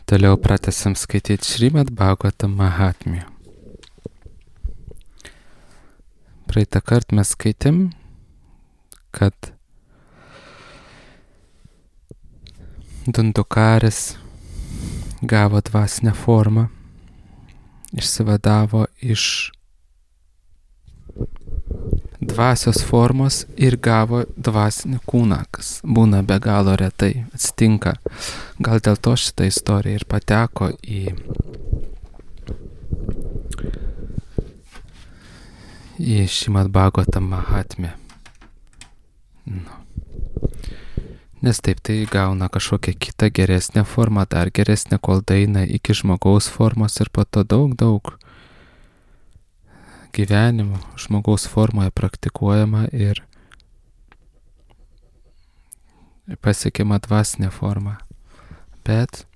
Toliau pratęsim skaityti Šrimad Bhagavatam Mahatmyją. Praeitą kartą mes skaitėm, kad Dundukaris gavo dvasinę formą, išsivadavo iš dvasios formos ir gavo dvasinį kūną, kas būna be galo retai, atsitinka. Gal dėl to šitą istoriją ir pateko į Šrimad Bhagavatam Mahatmyją. Nes taip tai gauna kažkokią kitą geresnę formą, dar geresnę, kol daeina iki žmogaus formos ir po to daug gyvenimų žmogaus formoje praktikuojama ir pasiekiama dvasinė forma. Bet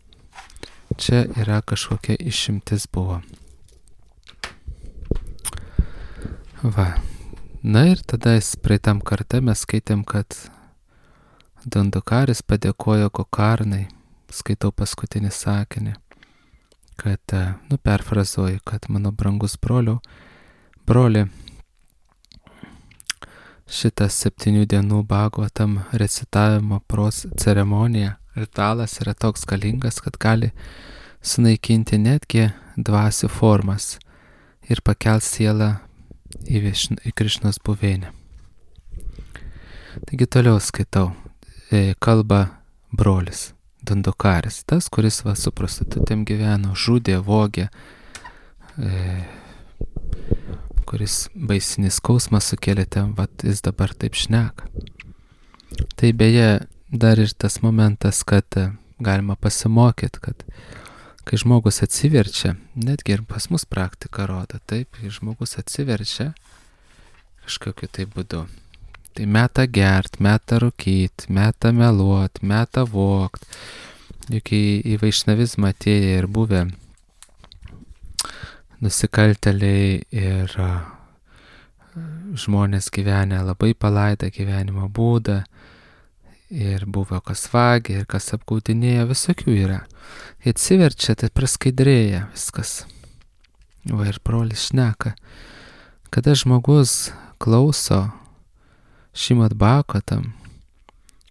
čia yra kažkokia išimtis buvo. Va. Na ir tada praeitam kartą mes skaitėm, kad Dundukaris padėkojo Gokarnai, skaitau paskutinį sakinį, kad, perfrazuoju, kad mano brangus broli, šitas 7 dienų Bhagavatam recitavimo ceremonija, ritualas yra toks galingas, kad gali sunaikinti netgi dvasių formas ir pakelt sielą į Krišnos buveinę. Taigi toliau skaitau. Kalba brolis Dundukaris, tas, kuris su prostitutėm gyveno, žudė, vogė, kuris baisinį skausmą sukėlė ten, jis dabar taip šneka. Tai beje, dar ir tas momentas, kad galima pasimokyti, kad kai žmogus atsiverčia, netgi ir pas mus praktika rodo, taip, kai žmogus atsiverčia kažkokiu tai būdu. Tai meta gert, meta rūkyt, meta meluot, meta vogt. Juk į vaišnavizmą atėję ir buvę nusikaltėliai ir žmonės gyvenę labai palaidą gyvenimo būdą ir buvo kas vagė ir kas apgaudinėjo, visokių yra. Jie atsiverčia, tai praskaidrėja viskas. Va ir brolis šneka, kada žmogus klauso Šrimad Bhagavatam,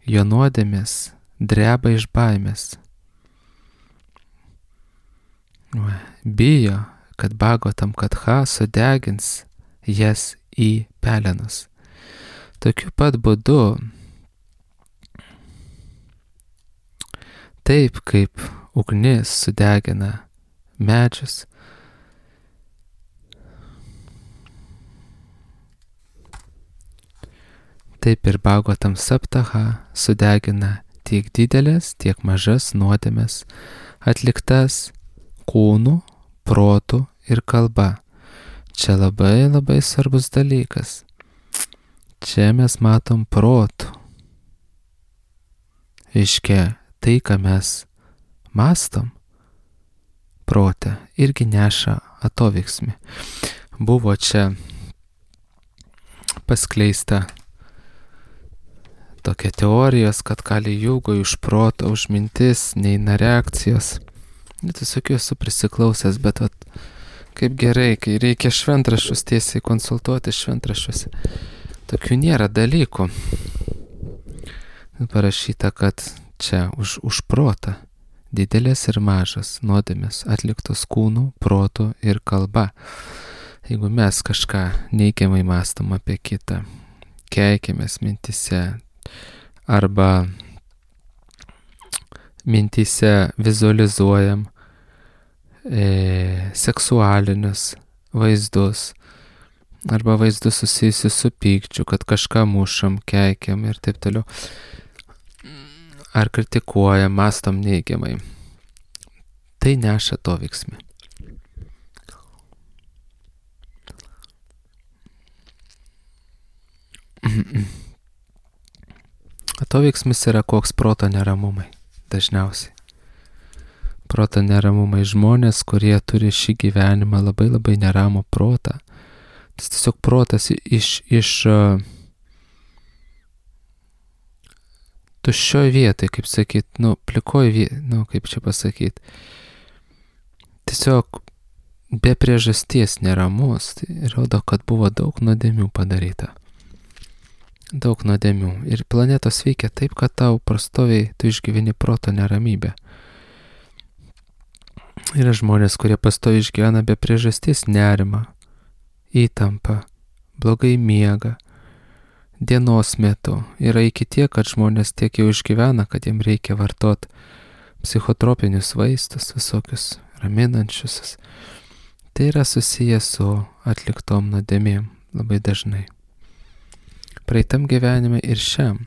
jo nuodėmės dreba iš baimės. Bijo, kad Bhagavatam Katha sudegins jas į pelenus. Tokiu pat būdu, taip kaip ugnis sudegina medžius, taip ir Bhagavatam Saptaha sudegina tiek didelės, tiek mažas nuodėmes, atliktas kūnu, protu ir kalba. Čia labai svarbus dalykas. Čia mes matom protų. Reiškia, tai, ką mes mastom, protą irgi neša atoveiksmį. Buvo čia paskleista tokia teorijos, kad Kali Jugoj už protą, už mintis neina reakcijos. Tiesiog esu prisiklausęs, bet kaip gerai, kai reikia šventraščius tiesiai konsultuoti šventraščiuose. Tokių nėra dalykų. Parašyta, kad čia už protą didelės ir mažas nuodėmės atliktos kūnu, protu ir kalba. Jeigu mes kažką neigiamai mąstom apie kitą, keikėmės mintise, arba mintise vizualizuojam seksualinius vaizdus, arba vaizdus susijusius su pykčiu, kad kažką mušam, keikiam ir taip toliau, ar kritikuojam, mąstom neigiamai. Tai neša atoveiksmį. Atoveiksmis yra koks proto neramumai, dažniausiai. Proto neramumai žmonės, kurie turi šį gyvenimą labai neramų protą. Tas tiesiog protas iš tuščioj vietoj, kaip sakyt, plikoj vietoj, kaip čia pasakyt. Tiesiog be priežasties neramus, tai rodo, kad buvo daug nuodėmių padaryta. Daug nuodėmių. Ir planetos veikia taip, kad tau prastoviai tu išgyveni proto neramybę. Yra žmonės, kurie pastoviai išgyvena be priežasties nerimą, įtampą, blogai miega, dienos metu. Yra iki tiek, kad žmonės tiek jau išgyvena, kad jiem reikia vartoti psichotropinius vaistus, visokius raminančius. Tai yra susijęs su atliktom nuodėmėm labai dažnai. Praeitam gyvenime ir šiam.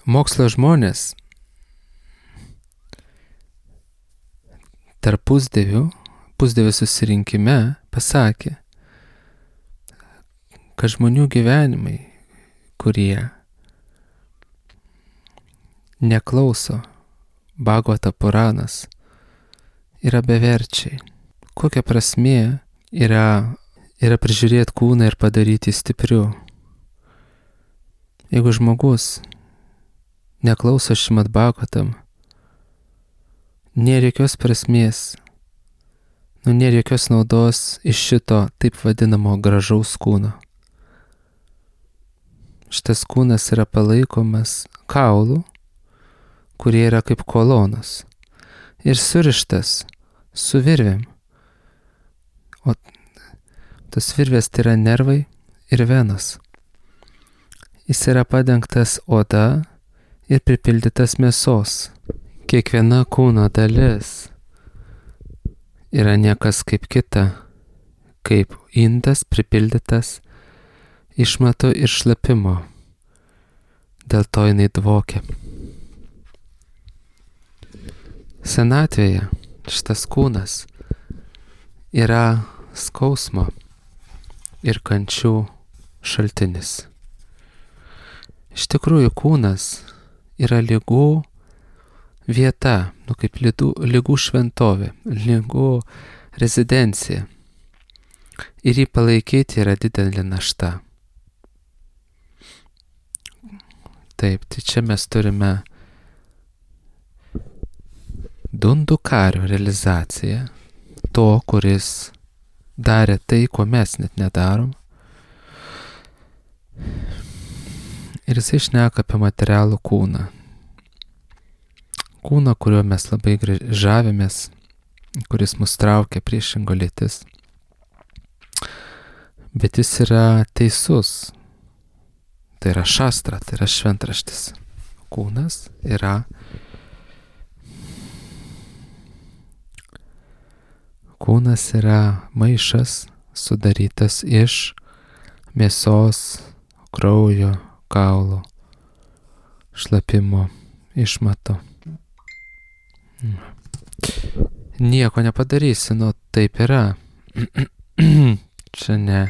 Mokslo žmonės tarp pusdievių susirinkime pasakė, kad žmonių gyvenimai, kurie neklauso Bhagavata Puranas, yra beverčiai. Kokia prasmė yra prižiūrėti kūną ir padaryti stipriu? Jeigu žmogus neklauso Šrimad Bhagavatam, nėra jokios prasmės, nėra jokios naudos iš šito taip vadinamo gražaus kūno. Šitas kūnas yra palaikomas kaulų, kurie yra kaip kolonos ir surištas su virvėm. O tas virvės tai yra nervai ir venos. Jis yra padengtas oda ir pripildytas mėsos. Kiekviena kūno dalis yra niekas kaip kita, kaip indas pripildytas išmatų ir šlapimo. Dėl to jinai dvokia. Senatvėje šitas kūnas yra skausmo ir kančių šaltinis. Iš tikrųjų, kūnas yra ligų vieta, kaip ligų šventovė, ligų rezidencija. Ir jį palaikyti yra didelė našta. Taip, tai čia mes turime Dundukario realizaciją, to, kuris darė tai, ko mes net nedarom. Ir jisai šneka apie materialų kūną. Kūną, kuriuo mes labai žavimės, kuris mus traukia priešingo lytis. Bet jis yra teisus. Tai yra šastra, tai yra šventraštis. Kūnas yra maišas sudarytas iš mėsos, kraujo, kaulų, šlapimo, išmato. Nieko nepadarysi, taip yra. Čia ne.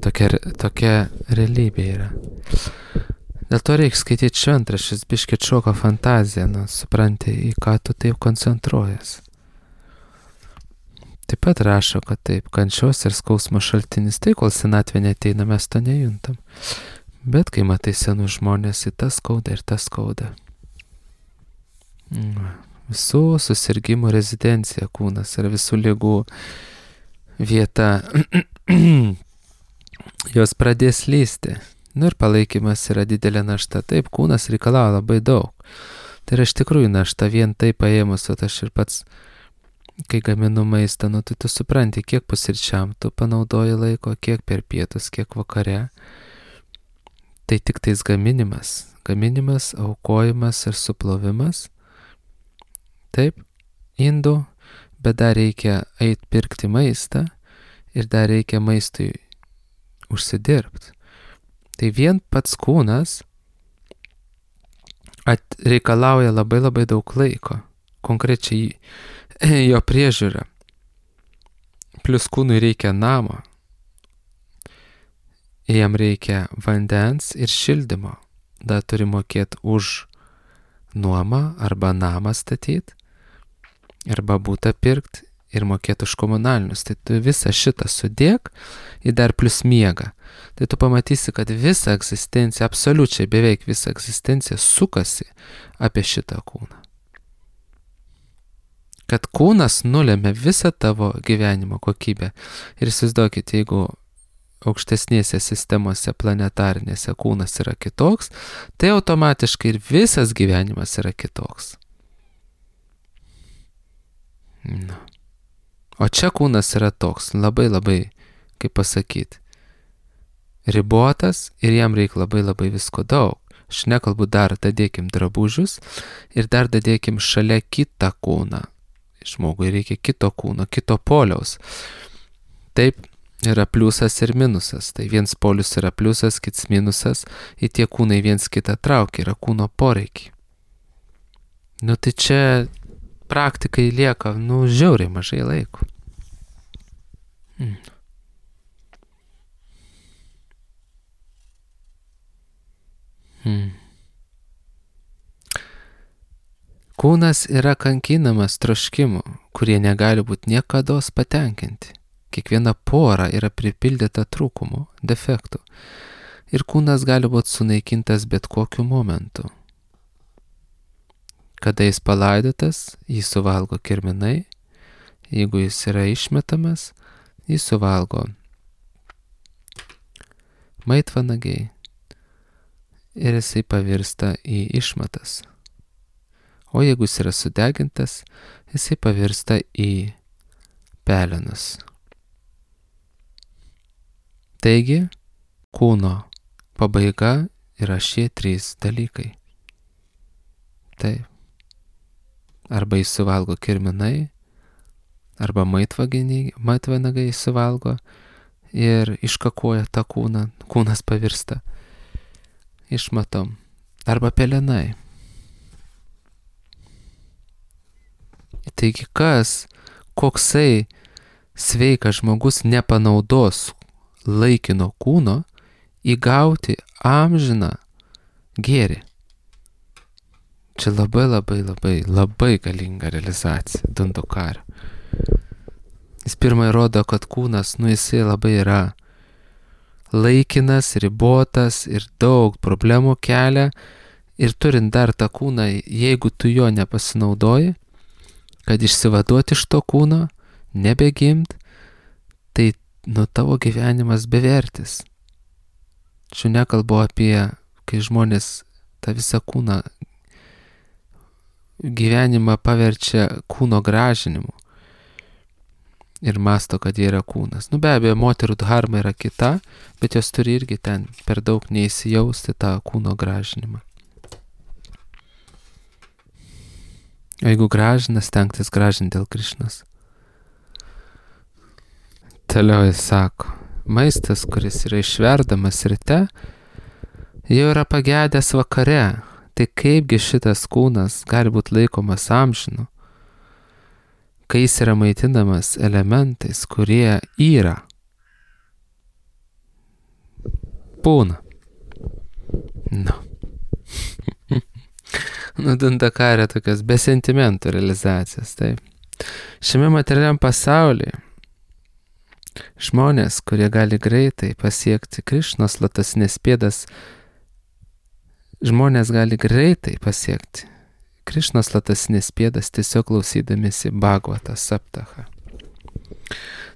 Tokia realybė yra. Dėl to reikia skaityti šventraščius, biškį atšoka fantazija, supranti, į ką tu taip koncentruojas. Taip pat rašo, kad taip, kančios ir skausmo šaltinis, tai kol senatvė neteina, mes to nejuntam. Bet kai matai senų žmonės, į tas skauda ir tas skauda. Visų susirgymų rezidencija kūnas ir visų ligų vieta. Jos pradės lysti. Ir palaikymas yra didelė našta. Taip, kūnas reikalauja labai daug. Tai yra iš tikrųjų našta, vien tai paėmus, o aš ir pats, kai gaminu maistą, tai tu supranti, kiek pusryčiam tu panaudoji laiko, kiek per pietus, kiek vakare. Tai tik tais gaminimas, aukojimas ir suplovimas. Taip, indų, bet dar reikia eiti pirkti maistą ir dar reikia maistui užsidirbti. Tai vien pats kūnas reikalauja labai labai daug laiko, konkrečiai jo priežiūra. Plius kūnui reikia namo, jam reikia vandens ir šildymo. Dar turi mokėti už nuomą arba namą statyti, arba butą pirkti ir mokėti už komunalinius. Tai tu visą šitą sudėk ir dar plus miegą. Tai tu pamatysi, kad visa egzistencija, absoliučiai beveik visa egzistencija sukasi apie šitą kūną. Kad kūnas nulėmė visą tavo gyvenimo kokybę. Ir įsivaizduokit, jeigu aukštesnėse sistemose planetarinėse kūnas yra kitoks, tai automatiškai ir visas gyvenimas yra kitoks. Na. O čia kūnas yra toks, labai, kaip pasakyti, ribotas ir jam reikia labai visko daug. Aš nekalbu dar dadėkim drabužius ir dar dadėkim šalia kitą kūną. Žmogui reikia kito kūno, kito poliaus. Taip yra pliusas ir minusas. Tai viens polius yra pliusas, kits minusas. Ir tie kūnai viens kitą traukia, yra kūno poreikiai. Nu tai čia praktikai lieka, žiauriai mažai laiko. Kūnas yra kankinamas troškimų, kurie negali būti niekados patenkinti. Kiekviena pora yra pripildyta trūkumų, defektų. Ir kūnas gali būti sunaikintas bet kokiu momentu. Kada jis palaidotas, jį suvalgo kirminai. Jeigu jis yra išmetamas, jį suvalgo maitvanagiai. Ir jisai pavirsta į išmatas. O jeigu jis yra sudegintas, jisai pavirsta į pelenus. Taigi, kūno pabaiga yra šie 3 dalykai. Taip. Arba jis suvalgo kirminai, arba maitvanagai suvalgo ir iškakoja tą kūną, kūnas pavirsta išmatom, arba pelenai. Taigi koksai sveikas žmogus nepanaudos laikino kūno įgauti amžiną gėrį. Čia labai galinga realizacija Dundukario. Jis pirmai rodo, kad kūnas, jisai labai yra laikinas, ribotas ir daug problemų kelia. Ir turint dar tą kūną, jeigu tu jo nepasinaudoji, kad išsivaduoti iš to kūno, nebegimt, tai tavo gyvenimas bevertis. Čia nekalbu apie, kai žmonės tą visą kūną gyvenimą paverčia kūno gražinimu ir masto, kad jie yra kūnas. Be abejo, moterų dharma yra kita, bet jos turi irgi ten per daug neįsijausti tą kūno gražinimą. O jeigu gražina, stengtis gražinti dėl Krišnos. Toliau jis sako, maistas, kuris yra išverdamas ryte, jau yra pagedęs vakare. Tai kaipgi šitas kūnas gali būti laikomas amžinu, kai jis yra maitinamas elementais, kurie yra. Būna. Dundukario tokios be sentimentų realizacijas. Taip. Šiame materialiam pasaulyje žmonės, kurie gali greitai pasiekti Krišnos lotosinės pėdas, žmonės gali greitai pasiekti Krišnos lotosinės pėdas tiesiog klausydamėsi Bhagavata Saptaha.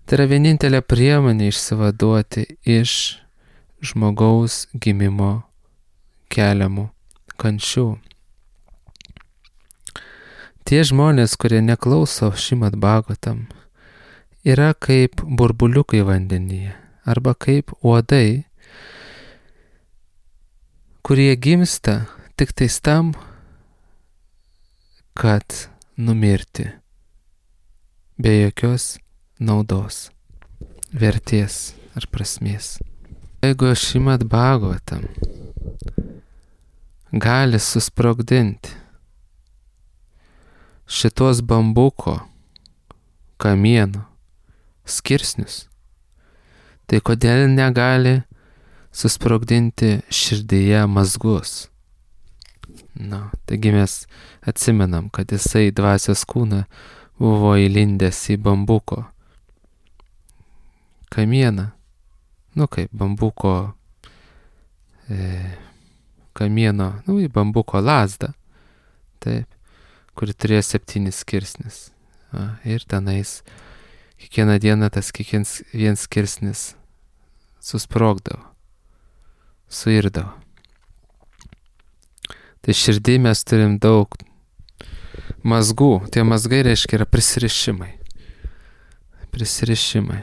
Tai yra vienintelė priemonė išsivaduoti iš žmogaus gimimo keliamų kančių. Tie žmonės, kurie neklauso Šrimad Bhagavatam, yra kaip burbuliukai vandenyje arba kaip uodai, kurie gimsta tik tais tam, kad numirti be jokios naudos, vertės ar prasmės. Jeigu Šrimad Bhagavatam gali susprogdinti šitos bambuko kamienų skirsnius, tai kodėl negali susprogdinti širdyje mazgus? Taigi mes atsimenam, kad jisai dvasios kūną buvo įlindęs į bambuko kamieną, kaip bambuko kamieno, į bambuko lazdą, taip, kuri turėjo 7 skirsnis. Ir tenais kiekvieną dieną tas vienas skirsnis susprogdavo, suirdavo. Tai širdį mes turim daug mazgų. Tie mazgai reiškia yra prisirišimai. Prisirišimai.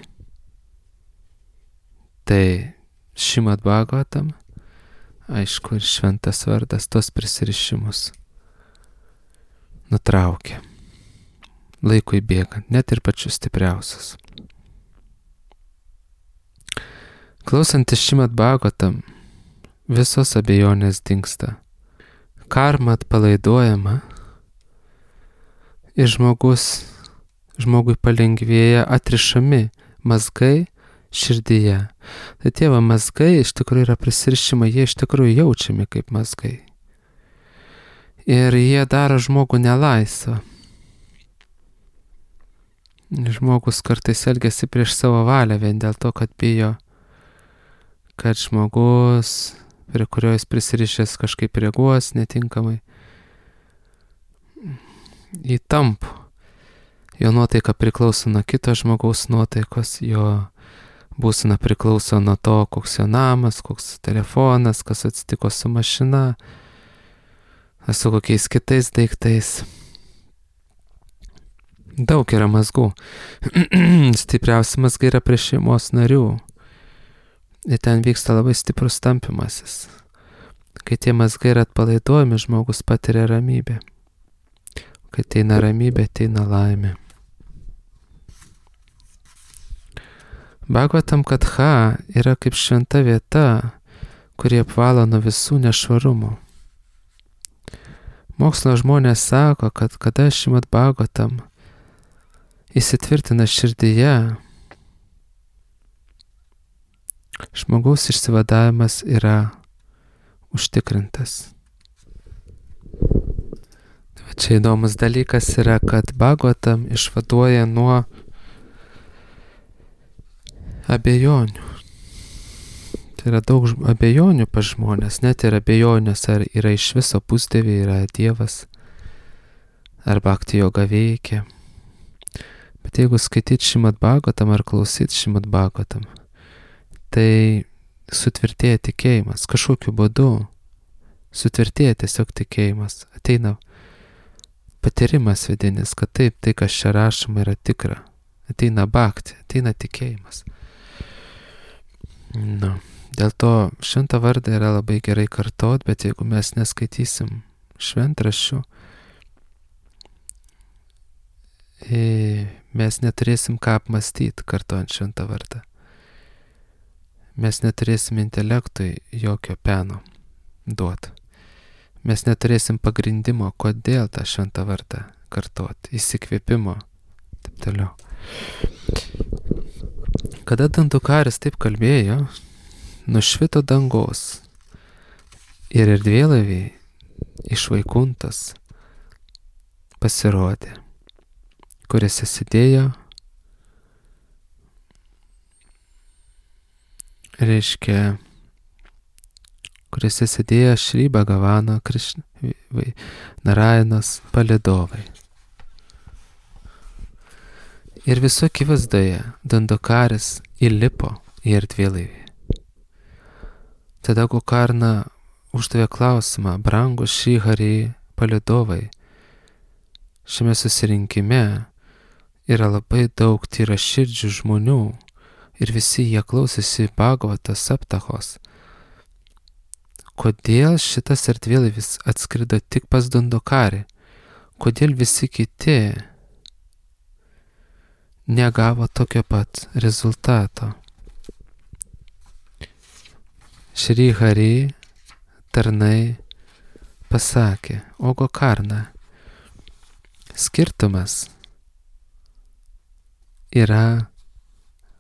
Tai Šrimad Bhagavatam, aišku, ir šventas vardas tos prisirišimus nutraukia. Laikui bėgant, net ir pačius stipriausius. Klausantis Šrimad Bhagavatam, visos abejonės dingsta. Karma atpalaiduojama ir žmogui palengvėja atrišami mazgai širdyje. Tai tie mazgai iš tikrųjų yra prisirišimai, jie iš tikrųjų jaučiami kaip mazgai. Ir jie daro žmogų nelaisvą. Žmogus kartais elgiasi prieš savo valią vien dėl to, kad bijo, kad žmogus, prie kurio jis prisirišęs, kažkaip reaguos netinkamai. Įtampu. Jo nuotaika priklauso nuo kito žmogaus nuotaikos, jo būsena priklauso nuo to, koks jo namas, koks telefonas, kas atsitiko su mašina, su kokiais kitais daiktais. Daug yra mazgų. Stipriausi mazgai yra prie šeimos narių. Ir ten vyksta labai stiprus tampimasis. Kai tie mazgai yra atpalaiduojami, žmogus patiria ramybę. Kai ateina ramybė, ateina laimė. Bhagavatam Katha yra kaip šventa vieta, kuri apvalo nuo visų nešvarumų. Mokslo žmonės sako, kad kada Šrimad Bhagavatam įsitvirtina širdyje, žmogaus išsivadavimas yra užtikrintas. Čia įdomus dalykas yra, kad Bhagavatam išvaduoja nuo abejonių. Tai yra daug abejonių pas žmonės, net ir abejonės, ar yra iš viso pusdieviai, yra Dievas, ar bhakti joga veikia. Bet jeigu skaityti Šrimad Bhagavatam ar klausyti Šrimad Bhagavatam, tai sutvirtėja tikėjimas, kažkokiu būdu sutvirtėja tiesiog tikėjimas, ateina patyrimas vidinis, kad taip, tai kas čia rašoma yra tikra, ateina bhakti, ateina tikėjimas. Dėl to šventą vardą yra labai gerai kartot, bet jeigu mes neskaitysim šventraščių, mes neturėsim ką apmastyti kartojant šventą vardą. Mes neturėsim intelektui jokio peno duoti. Mes neturėsim pagrindimo, kodėl tą šventą vardą kartoti, įsikvėpimo, taip toliau. Kada Dandukaris taip kalbėjo, nušvito dangaus ir erdvėlaiviai iš Vaikuntos pasirodė, kuriuose sėdėjo, kuriuose sėdėjo Šri Bhagavano Narayanos palydovai. Ir visų akivaizdoje Dandukaris įlipo į erdvėlaivį. Tada Gokarna uždavė klausimą: brangus Šri Hari palydovai, šiame susirinkime yra labai daug tyraširdžių žmonių ir visi jie klausėsi Bhagavata Saptahos. Kodėl šitas erdvėlaivis atskrido tik pas Dandukarį? Kodėl visi kiti negavo tokio pat rezultato? Šri Hari tarnai pasakė: o Gokarna, skirtumas yra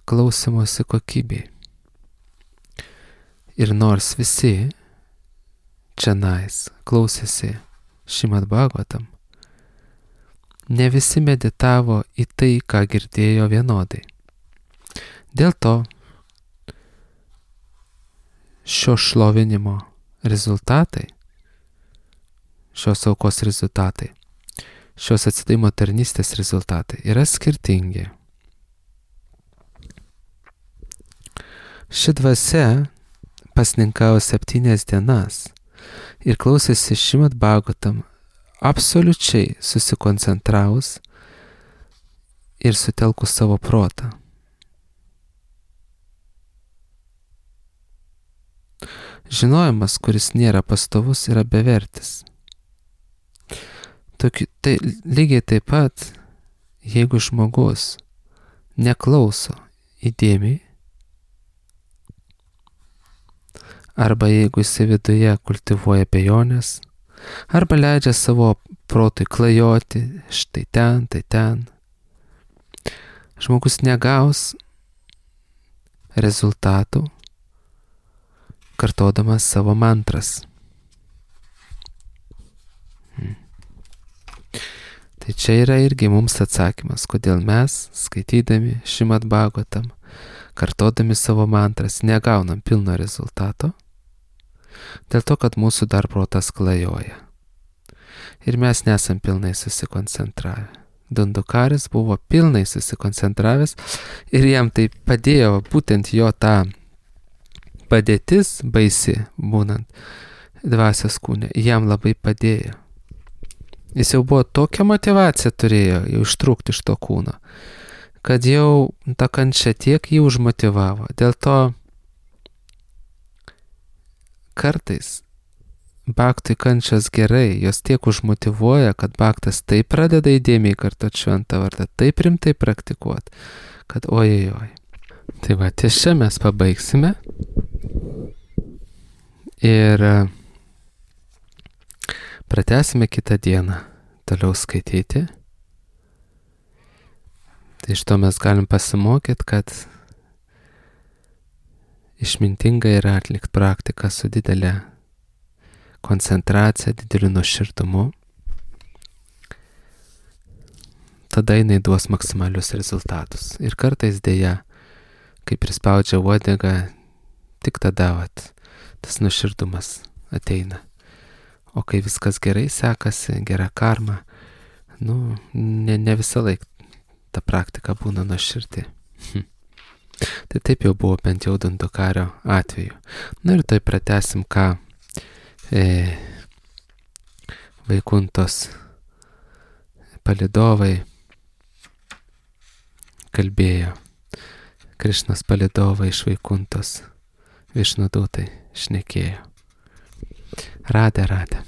klausimosi kokybė. Ir nors visi čionais klausėsi Šrimad Bhagavatam, ne visi meditavo į tai, ką girdėjo vienodai. Dėl to šio šlovinimo rezultatai, šios aukos rezultatai, šios atsidavimo tarnystės rezultatai yra skirtingi. Ši dvasia pasninkavo 7 dienas ir klausėsi Šrimad Bhagavatam absoliučiai susikoncentravus ir sutelkus savo protą. Žinojimas, kuris nėra pastovus, yra bevertis. Tai lygiai taip pat, jeigu žmogus neklauso įdėmiai, arba jeigu jis viduje kultivuoja abejonės, arba leidžia savo protui klajoti štai ten, tai ten, žmogus negaus rezultatų, kartodamas savo mantras. Tai čia yra irgi mums atsakymas, kodėl mes, skaitydami Šrimad Bhagavatam, kartodami savo mantras, negaunam pilno rezultato, dėl to, kad mūsų dar protas klajoja. Ir mes nesam pilnai susikoncentravę. Dundukaris buvo pilnai susikoncentravęs ir jam tai padėjo būtent jo tą padėtis baisi, būnant dvasios kūne, jam labai padėjo. Jis jau buvo tokią motivaciją turėjo jau ištrūkti iš to kūno, kad jau ta kančia tiek jį užmotivavo. Dėl to kartais bhaktui kančios gerai, jos tiek užmotivuoja, kad bhaktas taip pradeda įdėmiai kartoti šventą vardą, taip rimtai praktikuoti, kad ojojoj. Tai va, ties čia mes pabaigsime ir pratęsime kitą dieną toliau skaityti. Tai iš to mes galim pasimokyti, kad išmintinga yra atlikti praktiką su didelė koncentracija, dideliu nuoširdumu. Tada jinai duos maksimalius rezultatus. Ir kartais dėja, kai prispaudžia uodegą, tik tada tas nuoširdumas ateina. O kai viskas gerai sekasi, gera karma, ne visą laiką ta praktika būna nuoširdi. Tai taip jau buvo bent jau Dundukario atveju. Ir tai pratęsim, ką Vaikuntos palidovai kalbėjo. Krišnos palidovai iš Vaikuntos Višnudūtai šnekėjo. Radė.